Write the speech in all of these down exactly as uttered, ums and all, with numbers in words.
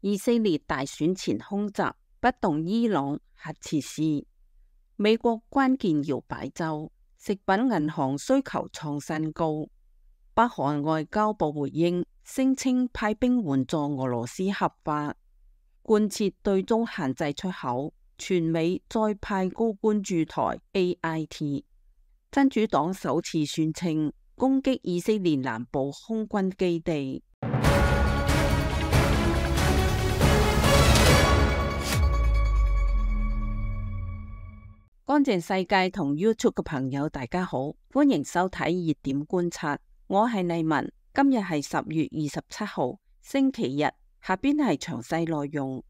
以色列大選前空襲，不動伊朗核設施。美國關鍵搖擺州，食品銀行需求創新高。北韓外交部回應，聲稱派兵援助俄羅斯合法。貫徹對中限制出口，全美再派高官駐台 A I T。真主黨首次宣稱攻擊以色列南部空軍基地。乾淨世界同 YouTube 嘅朋友大家好，歡迎收睇熱點觀察，我係麗文，今日係十月二十七號星期日，下邊係詳細內容。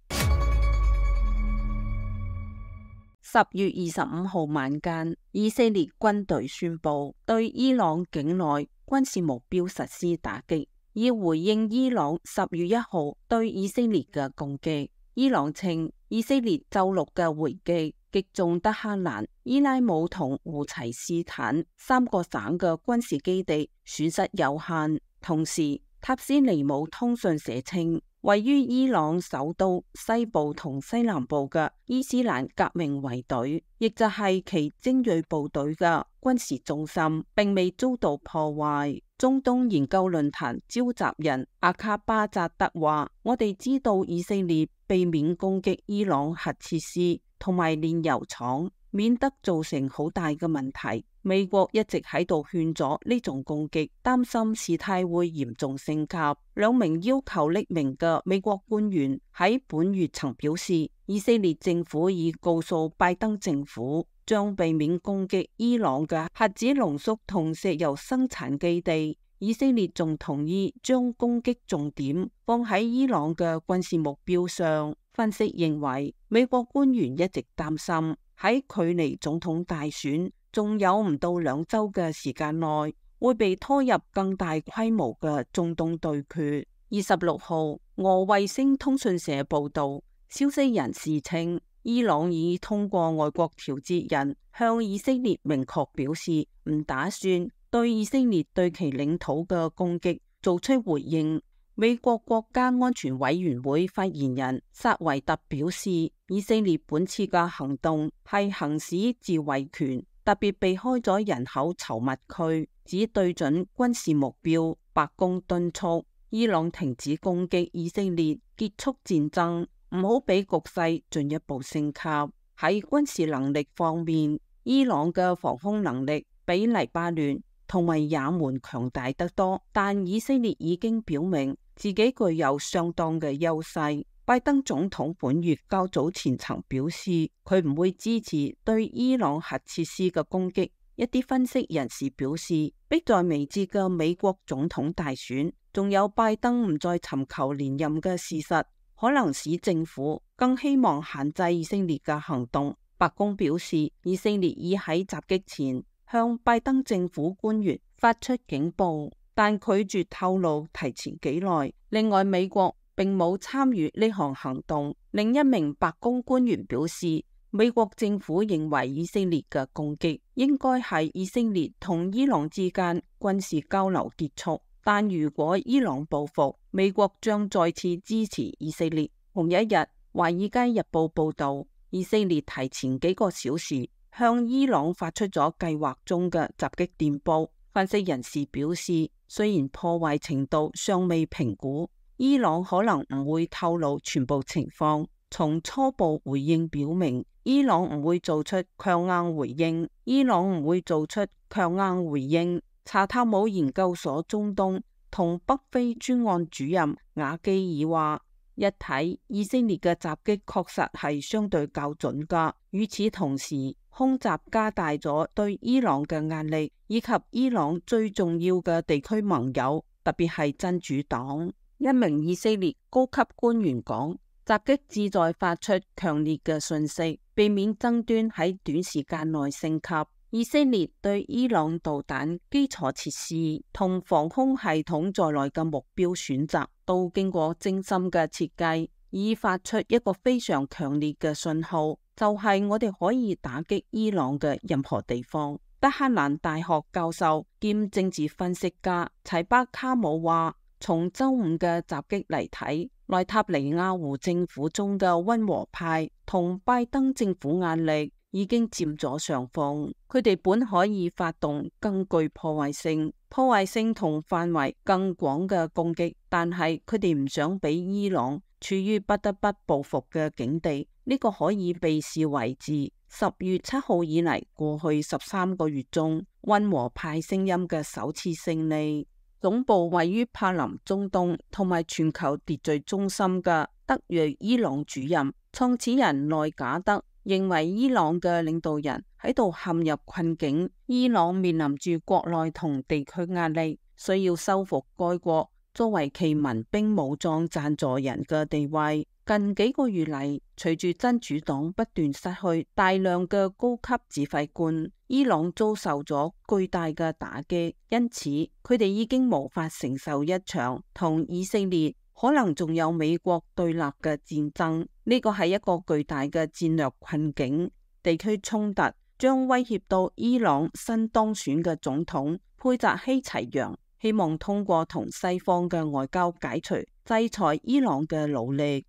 十月二十五號晚間，以色列軍隊宣布對伊朗境內軍事目標實施打擊，以回應伊朗十月一號對以色列嘅攻擊。伊朗稱以色列周六嘅回擊擊中德黑蘭、伊拉姆同胡齊斯坦三個省嘅軍事基地，損失有限。同時，塔斯尼姆通訊社稱，位於伊朗首都西部同西南部嘅伊斯蘭革命衛隊，亦就係其精銳部隊嘅軍事中心，並未遭到破壞。中東研究論壇召集人阿卡巴扎德話：我哋知道以色列避免攻擊伊朗核設施同埋煉油廠，免得造成好大嘅問題。美國一直喺度勸阻呢種攻擊，擔心事態會嚴重升級。兩名要求匿名嘅美國官員喺本月曾表示，以色列政府已告訴拜登政府，將避免攻擊伊朗嘅核子濃縮同石油生產基地。以色列仲同意將攻擊重點放喺伊朗嘅軍事目標上。分析認為，美國官員一直擔心喺距離總統大選仲有唔到兩周嘅時間內，會被拖入更大規模嘅中東對決。二十六號，俄衛星通訊社報道，消息人士稱，伊朗已通過外國調節人向以色列明確表示，唔打算對以色列對其領土嘅攻擊做出回應。美國國家安全委員會發言人薩維特表示，以色列本次嘅行動係行使自衛權，特別避開咗人口稠密區，只對準軍事目標。白宮敦促伊朗停止攻擊以色列，結束戰爭，唔好俾局勢進一步升級。喺軍事能力方面，伊朗嘅防空能力比黎巴嫩同埋也門強大得多，但以色列已經表明自己具有相當嘅優勢。拜登總統本月較早前曾表示，佢唔會支持對伊朗核設施嘅攻擊。一啲分析人士表示，迫在眉睫嘅美國總統大選，仲有拜登唔再尋求連任嘅事實，可能使政府更希望限制以色列嘅行動。白宮表示，以色列已喺襲擊前向拜登政府官員發出警報，但拒絕透露提前幾耐。另外，美國並冇參與呢項行動。另一名白宮官員表示，美國政府認為以色列嘅攻擊應該係以色列同伊朗之間軍事交流結束，但如果伊朗報復，美國將再次支持以色列。同一日，《華爾街日報》報道，以色列提前幾個小時向伊朗發出咗計劃中嘅襲擊電報。分析人士表示，雖然破壞程度尚未評估，伊朗可能唔會透露全部情況。從初步回應表明，伊朗唔會做出強硬回應。伊朗唔會做出強硬回應。查塔姆研究所中東同北非專案主任瓦基爾話，一睇以色列嘅襲擊確實係相對較準㗎。與此同時，空襲加大咗對伊朗嘅壓力，以及伊朗最重要嘅地區盟友，特別係真主黨。一名以色列高級官員講，襲擊旨在發出強烈嘅訊息，避免爭端喺短時間內升級。以色列對伊朗導彈基礎設施同防空系統在內嘅目標選擇，都經過精心嘅設計，以發出一個非常強烈嘅信號，就係我哋可以打擊伊朗嘅任何地方。德黑蘭大學教授兼政治分析家齊巴卡姆話，從周五嘅襲擊嚟睇，內塔尼亞胡政府中嘅溫和派同拜登政府壓力已經佔咗上風，佢哋本可以發動更具破壞性、破壞性同範圍更廣嘅攻擊，但係佢哋唔想俾伊朗處於不得不報復嘅境地。呢、這個可以被視為自十月七號以嚟過去十三個月中溫和派聲音嘅首次勝利。總部位於柏林中東同埋全球秩序中心嘅德裔伊朗主任創始人內賈德認為，伊朗嘅領導人喺度陷入困境，伊朗面臨住國內同地區壓力，需要修復該國作為其民兵武裝贊助人嘅地位。近幾個月嚟，隨住真主黨不斷失去大量嘅高級指揮官，伊朗遭受咗巨大嘅打擊，因此佢哋已經無法承受一場同以色列可能仲有美國對立嘅戰爭。呢個係一個巨大嘅戰略困境，地區衝突將威脅到伊朗新當選嘅總統佩扎希齊揚希望通過同西方嘅外交解除制裁伊朗嘅努力。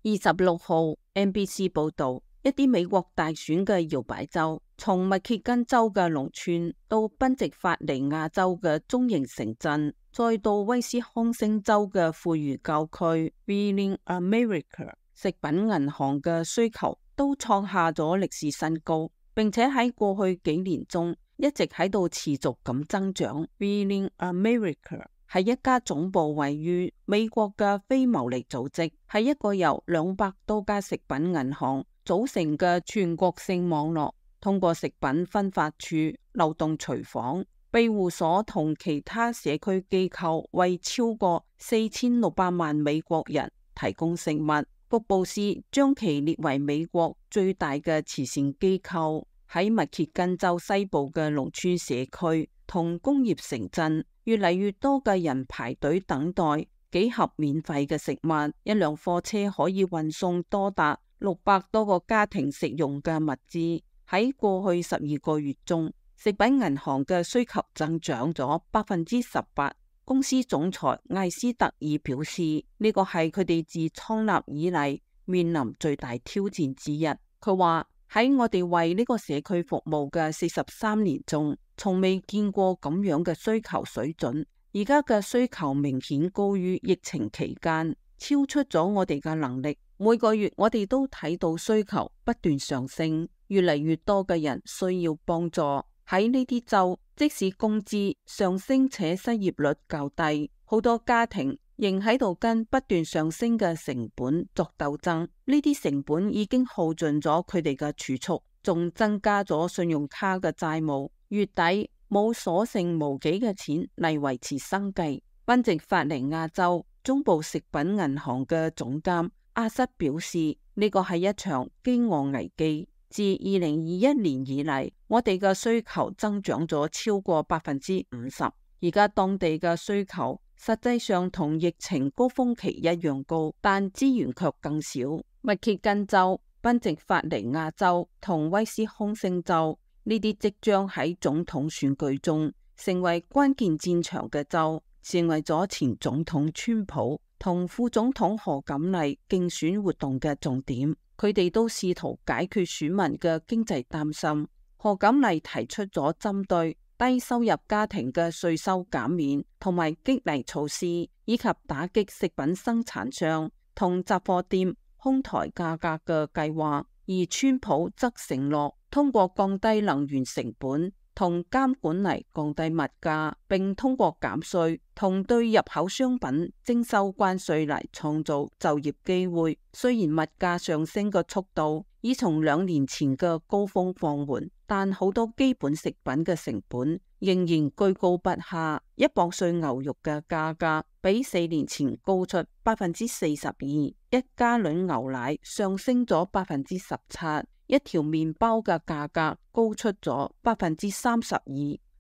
二十六號 N B C 報道，一啲美國大選嘅搖擺州，從密歇根州嘅農村到賓夕法尼亞州嘅中型城鎮，再到威斯康星州嘅富裕郊區 Wheeling America， 食品銀行嘅需求都創下咗歷史新高，並且喺過去幾年中一直喺度持續咁增長。Wheeling America係一家總部位於美國嘅非牟利組織，係一個由兩百多家食品銀行組成嘅全國性網絡，通過食品分發處、流動廚房、庇護所同其他社區機構，為超過四千六百萬美國人提供食物。福布斯將其列為美國最大嘅慈善機構。喺密歇根州西部嘅農村社區同工業城鎮，越嚟越多嘅人排隊等待幾盒免費嘅食物。一輛貨車可以運送多達六百多個家庭食用嘅物資。喺過去十二個月中，食品銀行嘅需求增長咗百分之十八。公司總裁艾斯特爾表示，呢個係佢哋自創立以嚟面臨最大挑戰之一。佢話，喺我哋為呢個社區服務嘅四十三年中，從未見過咁樣嘅需求水準。而家嘅需求明顯高於疫情期間，超出咗我哋嘅能力。每個月我哋都睇到需求不斷上升，越嚟越多嘅人需要幫助。喺呢啲州，即使工資上升且失業率較低，好多家庭仍喺度跟不斷上升嘅成本作鬥爭。呢啲成本已經耗盡咗佢哋嘅儲蓄，仲增加咗信用卡嘅債務，月底冇所剩無幾嘅錢嚟維持生計。賓夕法尼亞州中部食品銀行嘅總監阿瑟表示，呢個係一場饑餓危機。自二零二一年以嚟，我哋嘅需求增長咗超過百分之五十。而家當地嘅需求實際上同疫情高峰期一樣高，但資源卻更少。密歇根州、賓夕法尼亞州同威斯康星州呢啲即將喺總統選舉中成為關鍵戰場嘅州，成為咗前總統川普同副總統賀錦麗競選活動嘅重點。佢哋都試圖解決選民嘅經濟擔心。賀錦麗提出咗針對低收入家庭嘅稅收減免同埋激勵措施，以及打擊食品生產商同雜貨店哄抬價格嘅計劃。而川普則承諾通過降低能源成本同監管嚟降低物價，並通過減稅同對入口商品徵收關稅嚟創造就業機會。雖然物價上升嘅速度已從兩年前嘅高峰放緩，但好多基本食品嘅成本仍然居高不下。一磅碎牛肉嘅價格比四年前高出百分之四十二，一加侖牛奶上升咗百分之十七。一條麵包嘅價格高出咗百分之三十二。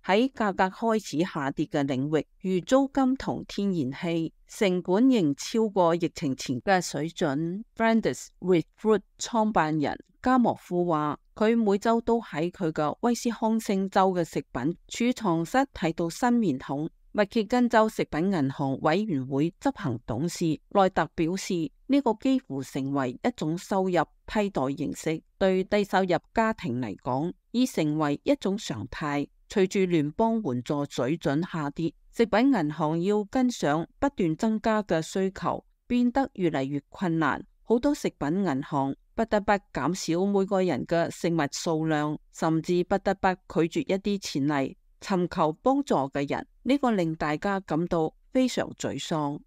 喺價格開始下跌嘅領域，如租金同天然氣，成本仍超過疫情前嘅水準。Friends with Food 創辦人加莫夫話，佢每周都喺佢嘅威斯康星州嘅食品儲藏室睇到新面孔，密歇根州食品銀行委員會執行董事內特表示，呢、這個幾乎成為一種收入替代形式，對低收入家庭嚟講已成為一種常態。隨住聯邦援助水準下跌，食品銀行要跟上不斷增加嘅需求變得越嚟越困難。好多食品銀行不得不減少每個人嘅食物數量，甚至不得不拒絕一啲前嚟尋求幫助嘅人。呢、這個令大家感到非常沮喪。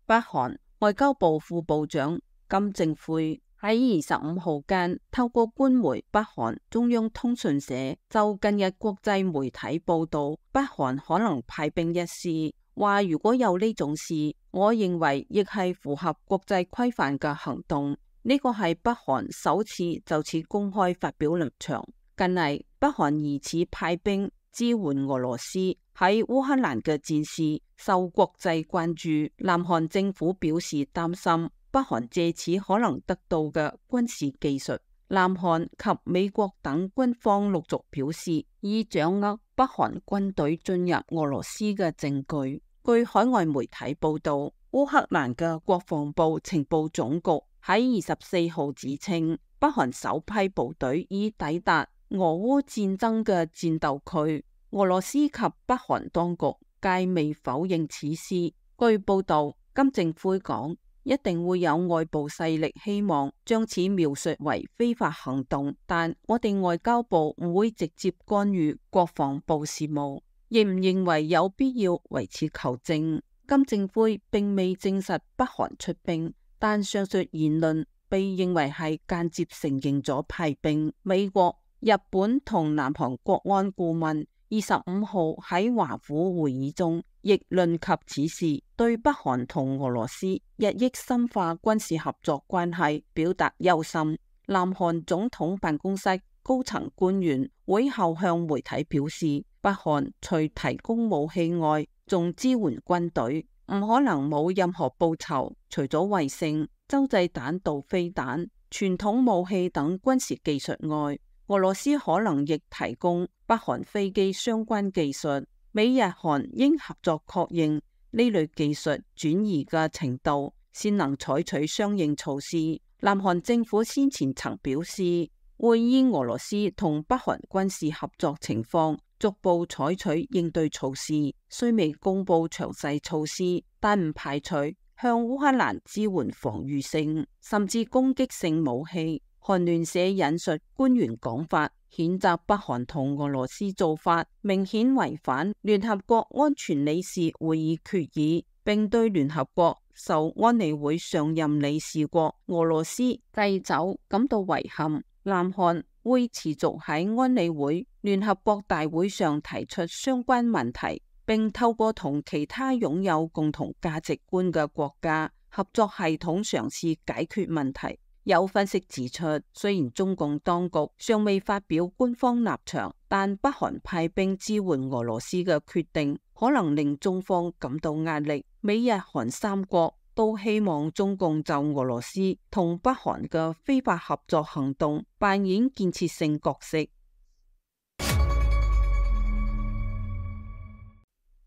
北韓外交部副部長金正奎喺二十五號間透過官媒北韓中央通訊社就近日國際媒體報道北韓可能派兵一事，話如果有呢種事，我認為亦係符合國際規範嘅行動。呢個係北韓首次就此公開發表立場。近嚟北韓疑似派兵支援俄羅斯喺烏克蘭嘅戰事受國際關注，南韓政府表示擔心北韓借此可能得到嘅軍事技術。南韓及美國等軍方陸續表示已掌握北韓軍隊進入俄羅斯嘅證據。據海外媒體報道，烏克蘭嘅國防部情報總局喺二十四號指稱，北韓首批部隊已抵達俄烏戰爭嘅戰鬥區。俄羅斯及北韓當局皆未否認此事。據報道，金正奎講，一定會有外部勢力希望將此描述為非法行動，但我哋外交部唔會直接干預國防部事務，亦唔認為有必要為此求證。金正奎並未證實北韓出兵，但上述言論被認為係間接承認咗派兵。美國、日本同南韓國安顧問二十五號喺華府會議中亦論及此事，對北韓同俄羅斯日益深化軍事合作關係表達憂心。南韓總統辦公室高層官員會後向媒體表示，北韓除提供武器外，仲支援軍隊，唔可能冇任何報酬。除咗衛星、洲際彈道飛彈、傳統武器等軍事技術外，俄羅斯可能亦提供北韓飛機相關技術。美日韓應合作確認呢類技術轉移嘅程度，先能採取相應措施。南韓政府先前曾表示，會依俄羅斯同北韓軍事合作情況，逐步採取應對措施。雖未公布詳細措施，但唔排除向烏克蘭支援防禦性甚至攻擊性武器。韓聯社引述官員講法，譴責北韓同俄羅斯做法明顯違反聯合國安全理事會議決議，並對聯合國受安理會常任理事國俄羅斯掣肘感到遺憾。南韓會持續喺安理會聯合國大會上提出相關問題，並透過同其他擁有共同價值觀嘅國家合作系統嘗試解決問題。有分析指出，雖然中共當局尚未發表官方立場，但北韓派兵支援俄羅斯嘅決定可能令中方感到壓力。美日韓三國都希望中共就俄羅斯同北韓嘅非法合作行動扮演建設性角色。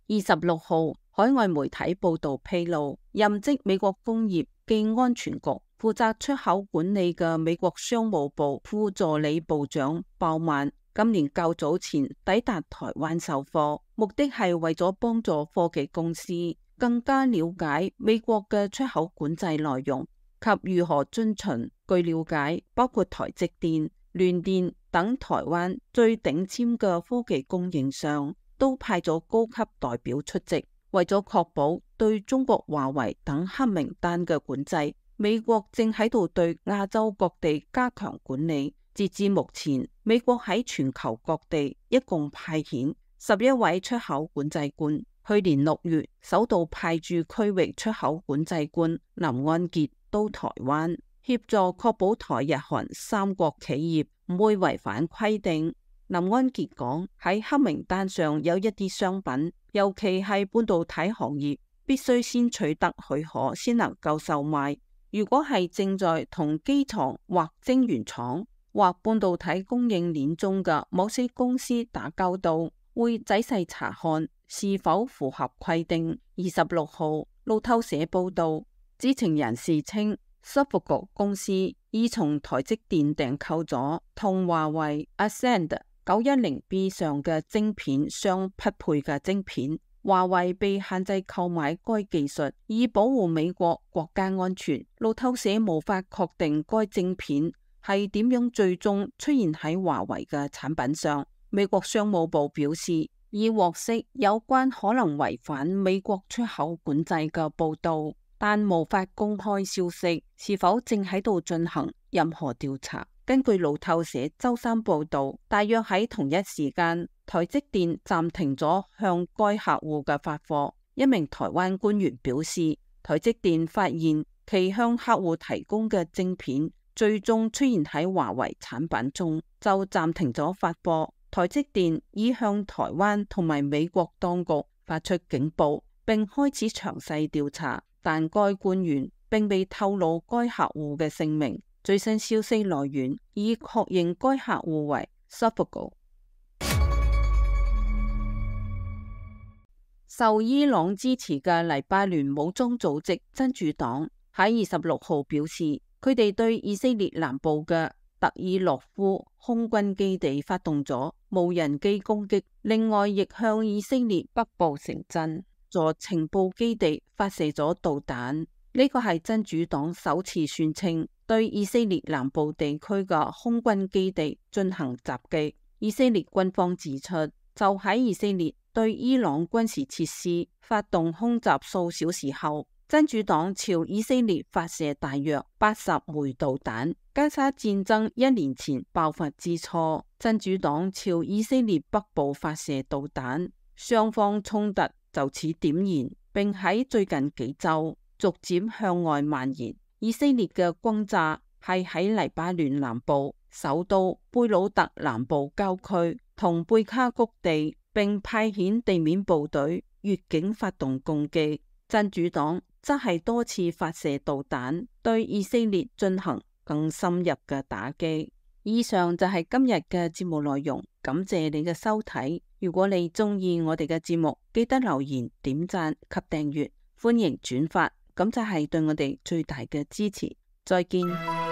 二十六號，海外媒體報道披露，任職美國工業暨安全局負責出口管理嘅美國商務部副助理部長鮑曼今年較早前抵達台灣授課，目的係為咗幫助科技公司更加了解美國嘅出口管制內容及如何遵循。據了解，包括台積電、聯電等台灣最頂尖嘅科技供應商都派咗高級代表出席，為咗確保對中國華為等黑名單嘅管制，美國正喺度對亞洲各地加強管理。截至目前，美國喺全球各地一共派遣十一位出口管制官。去年六月，首度派駐區域出口管制官林安傑到台灣，協助確保台日韓三國企業唔會違反規定。林安傑講，喺黑名單上有一啲商品，尤其係半導體行業，必須先取得許可先能夠售賣。如果係正在同機床或晶圓廠或半導體供應鏈中嘅某些公司打交道，會仔細查看是否符合規定。二十六號，路透社報道，知情人士稱，Suffolk公司已從台積電訂購咗同華為 Ascend 九一零 B 上嘅晶片相匹配嘅晶片。華為被限制購買該技術，以保護美國國家安全。路透社無法確定該晶片係點樣最終出現喺華為嘅產品上。美國商務部表示，已獲悉有關可能違反美國出口管制嘅報道，但無法公開消息是否正喺度進行任何調查。根據路透社周三報道，大約喺同一時間，台積電暫停咗向該客戶嘅發貨。一名台灣官員表示，台積電發現其向客戶提供嘅晶片最終出現喺華為產品中，就暫停咗發貨。台積電已向台灣同埋美國當局發出警報，並開始詳細調查，但該官員並未透露該客戶嘅姓名。最新消息來源已確認該客戶為 Suffolk。受伊朗支持嘅黎巴嫩武裝組織真主黨喺二十六號表示，佢哋對以色列南部嘅特爾諾夫空軍基地發動咗無人機攻擊，另外亦向以色列北部城鎮座情報基地發射咗導彈。呢個係真主黨首次宣稱對以色列南部地區嘅空軍基地進行襲擊。以色列軍方指出，就喺以色列對伊朗軍事設施發動空襲數小時後，真主黨朝以色列發射大約八十枚導彈。加沙戰爭一年前爆發之初，真主黨朝以色列北部發射導彈，雙方衝突就此點燃，並喺最近幾週逐漸向外蔓延。以色列嘅轟炸係喺黎巴嫩南部首都貝魯特南部郊區同貝卡谷地，並派遣地面部隊越境發動攻擊。真主黨則係多次發射導彈，對以色列進行更深入嘅打擊。以上就係今日嘅節目內容，感謝你嘅收睇。如果你中意我哋嘅節目，記得留言、點讚及訂閱，歡迎轉發，咁就係對我哋最大嘅支持。再見。